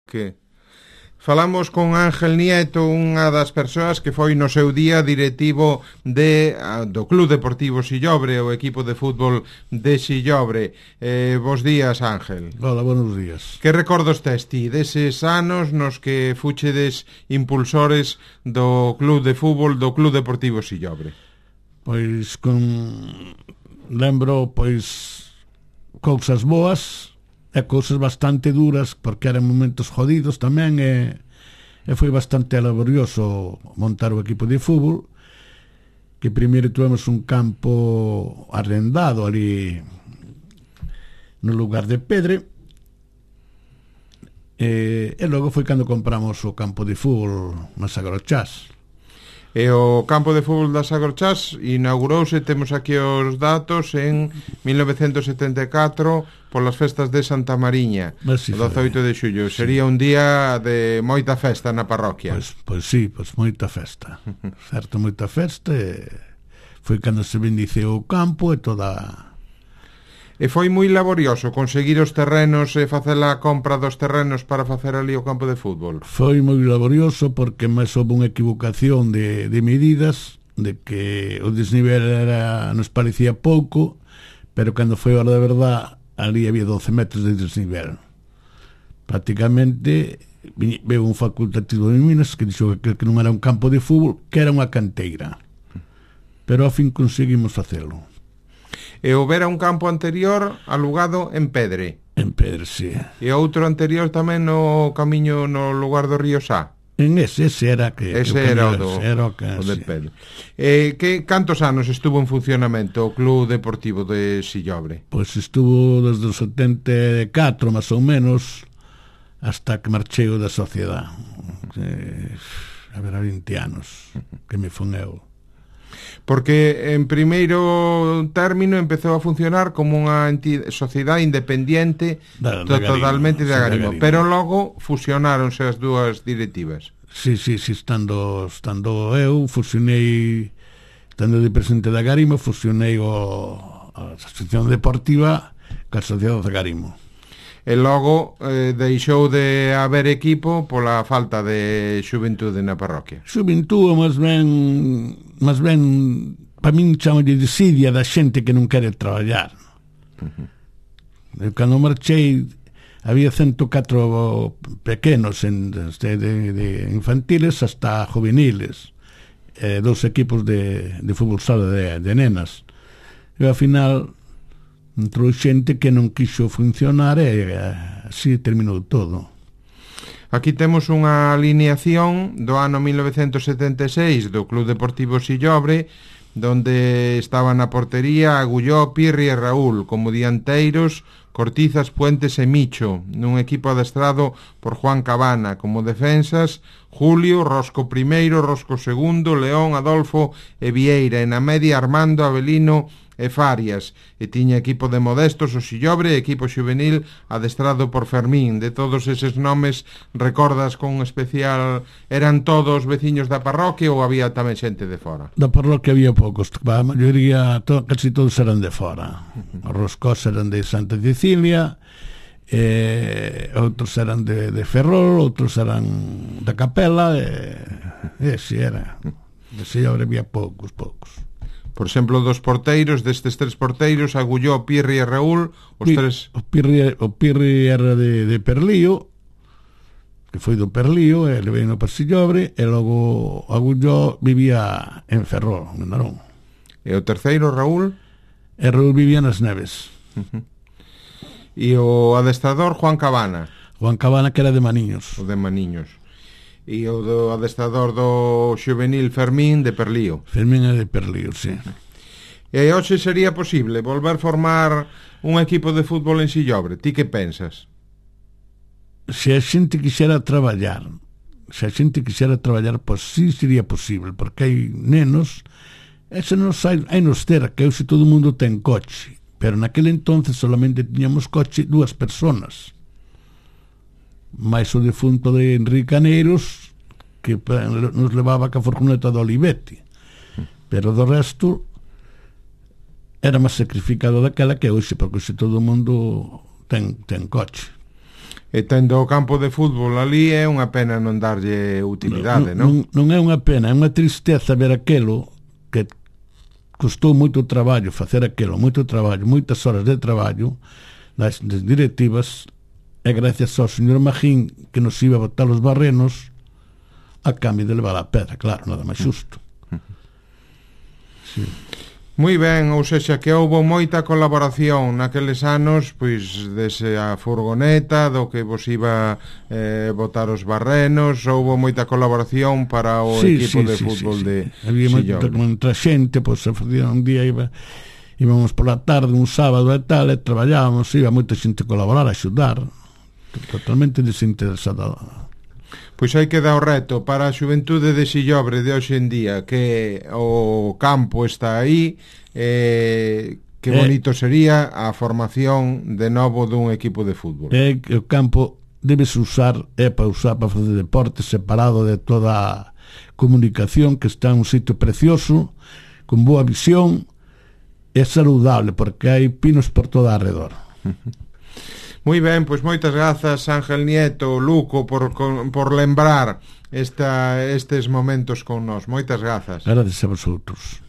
Que falamos con Ángel Nieto, unha das persoas que foi no seu día directivo do Club Deportivo Sillobre, o equipo de fútbol de Sillobre. Bos días, Ángel. Hola, buenos días. Que recordos tes ti deses anos nos que fuchedes impulsores do Club de Fútbol do Club Deportivo Sillobre? Pois lembro cousas boas e cousas bastante duras, porque eran momentos jodidos tamén, e foi bastante laborioso montar o equipo de fútbol, que primeiro tuvemos un campo arrendado ali no lugar de Pedre, e logo foi cando compramos o campo de fútbol na Sagrochás. E o campo de fútbol das Sagrochás inaugurouse, temos aquí os datos, en 1974 polas festas de Santa Mariña, o 18 de xullo. Sería un día de moita festa na parroquia. Pois sí, moita festa. Certo, moita festa, e foi cando se bendiceu o campo e toda... E foi moi laborioso conseguir os terrenos e facer a compra dos terrenos para facer ali o campo de fútbol. Foi moi laborioso porque máis houve unha equivocación de medidas, de que o desnivel nos parecía pouco, pero cando foi a hora de verdad ali había 12 metros de desnivel. Prácticamente veu un facultativo de Minas que dixo que non era un campo de fútbol, que era unha canteira, pero ao fin conseguimos facelo. E houbera un campo anterior alugado en Pedre. En Pedre, sí. E outro anterior tamén no camiño no lugar do río Sá. En ese era o de Pedre. Cantos anos estuvo en funcionamento o Club Deportivo de Sillobre? Pois estuvo desde o 74, máis ou menos, hasta que marchei da sociedade. Haberá 20 anos que me fun eu. Porque en primeiro término empezou a funcionar como unha sociedade independiente totalmente de Agarimo, pero logo fusionáronse as dúas directivas. Sí, estando eu fusionei, estando de presidente de Agarimo, fusionei a asociación deportiva ca sociedade de Agarimo. E logo deixou de haber equipo pola falta de xuventude na parroquia. Xuventude, máis ben para min chamo de desidia da xente que non quere traballar. Cando marchei había 104 pequenos de infantiles hasta juveniles, dos equipos de fútbol sala de nenas, e ao final entrou xente que non quixo funcionar e así terminou todo. Aquí temos unha alineación do ano 1976 do Club Deportivo Sillobre, donde estaban na portería Agulló, Pirri e Raúl, como dianteiros Cortizas, Puentes e Micho, nun equipo adestrado por Juan Cabana, como defensas Julio, Rosco I, Rosco II, León, Adolfo e Vieira, e na media Armando, Avelino e Farias, e tiña equipo de modestos o Sillobre, equipo xuvenil adestrado por Fermín. De todos eses nomes, recordas con especial, eran todos veciños da parroquia ou había tamén xente de fora? Da parroquia había poucos, a maioría, casi todos eran de fora. Os Roscós eran de Santa Cecilia, outros eran de Ferrol, outros eran da Capela, e si era. De Sillobre había poucos. Por exemplo, dos porteiros, destes tres porteiros, Agulló, Pirri e Raúl, os tres... O Pirri era de Perlío, que foi do Perlío, e le veio no Sillobre, e logo Agulló vivía en Ferrol, en Narón. E o terceiro, Raúl? E Raúl vivía nas Neves. E o adestrador, Juan Cabana? Juan Cabana, que era de Maniños. O de Maniños. E o do adestrador do xuvenil, Fermín, de Perlío. Fermín é de Perlío, sí. E hoxe sería posible volver formar un equipo de fútbol en Sillobre? Ti que pensas? Se a xente quixera traballar, pois sí sería posible, porque hai nenos, hai nos cerca, e hoxe todo o mundo ten coche, pero naquele entonces solamente tiñamos coche 2 personas. Mais o defunto de Enrique Caneiros, que nos levaba ca furgoneta do Olivete, pero do resto era máis sacrificado daquela que hoxe, porque hoxe todo o mundo ten coche. E tendo o campo de fútbol ali é unha pena non darlle utilidade, non? Non é unha pena, é unha tristeza ver aquelo que custou moito traballo facer aquelo, moito traballo, moitas horas de traballo das directivas, e gracias ao señor Magín que nos iba a botar os barrenos a cambio de levar a pedra, claro, nada máis xusto. Sí. Moi ben, ou seja, que houbo moita colaboración naqueles anos, pois, dese a furgoneta, do que vos iba botar os barrenos, houbo moita colaboración para o equipo de fútbol de había moita xente, pois se facía un día íbamos pola tarde, un sábado e tal, e traballábamos, iba moita xente a colaborar, a axudar, totalmente desinteresada. Pois hai que dar o reto para a xuventude de Sillobre de hoxe en día, que o campo está aí, que bonito sería a formación de novo dun equipo de fútbol. O campo debes usar, para facer deporte separado de toda a comunicación, que está en un sitio precioso, con boa visión, é saludable, porque hai pinos por toda alrededor. Moi ben, pois moitas grazas Ángel Nieto, Luco, por lembrar estes momentos con nós. Moitas grazas. Gracias a vosotros.